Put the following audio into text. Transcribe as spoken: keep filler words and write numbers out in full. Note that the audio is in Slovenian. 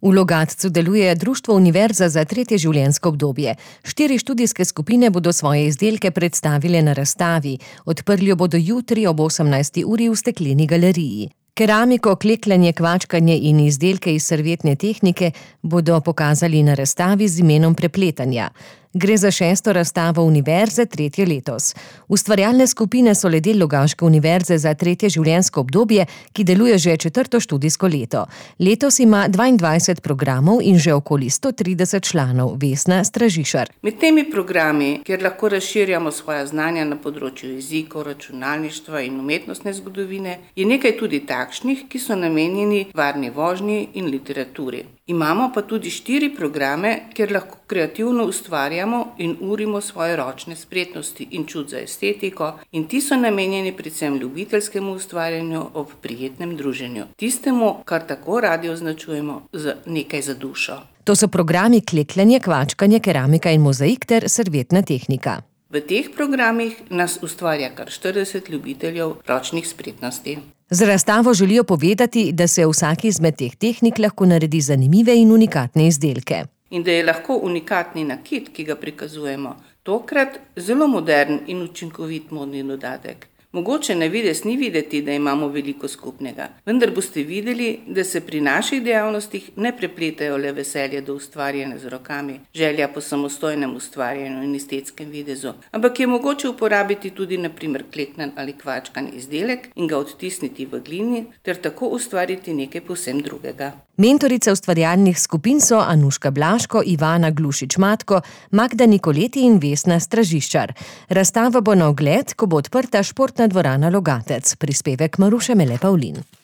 V Logatcu deluje Društvo Univerza za tretje življenjsko obdobje. Štiri študijske skupine bodo svoje izdelke predstavile na razstavi. Odprli jo bodo jutri ob osemnajsti uri v Stekleni galeriji. Keramiko, klekljanje, kvačkanje in izdelke iz servietne tehnike bodo pokazali na razstavi z imenom Prepletanja. Gre za šesto razstavo univerze, tretje letos. Ustvarjalne skupine so le del Logaške univerze za tretje življenjsko obdobje, ki deluje že četrto študijsko leto. Letos ima dvaindvajset programov in že okoli sto trideset članov. Vesna Stražišar. Med temi programi, kjer lahko razširjamo svoja znanja na področju jezikov, računalništva in umetnostne zgodovine, je nekaj tudi takšnih, ki so namenjeni varni vožnji in literaturi. Imamo pa tudi štiri programe, kjer lahko kreativno ustvarjamo in urimo svoje ročne spretnosti in čut za estetiko, in ti so namenjeni predvsem ljubiteljskemu ustvarjanju ob prijetnem druženju. Tistemu, kar tako radi označujemo z nekaj za dušo. To so programi klekljanje, kvačkanje, keramika in mozaik ter servietna tehnika. V teh programih nas ustvarja kar štirideset ljubiteljev ročnih spretnosti. Z razstavo želijo povedati, da se vsaki izmed teh tehnik lahko naredi zanimive in unikatne izdelke. In da je lahko unikatni nakit, ki ga prikazujemo, tokrat zelo modern in učinkovit modni dodatek. Mogoče na videz ni videti, da imamo veliko skupnega, vendar boste videli, da se pri naših dejavnostih ne prepletajo le veselje do ustvarjanja z rokami, želja po samostojnem ustvarjanju in estetskem videzu, ampak je mogoče uporabiti tudi na primer kleknan ali kvačkan izdelek in ga odtisniti v glini ter tako ustvariti nekaj povsem drugega. Mentorice ustvarjalnih skupin so Anuška Blaško, Ivana Glušič-Matko, Magda Nikoleti in Vesna Stražiščar. Razstava bo na ogled, ko bo odprta športna dvorana Logatec. Prispevek Maruše Mele Pavlin.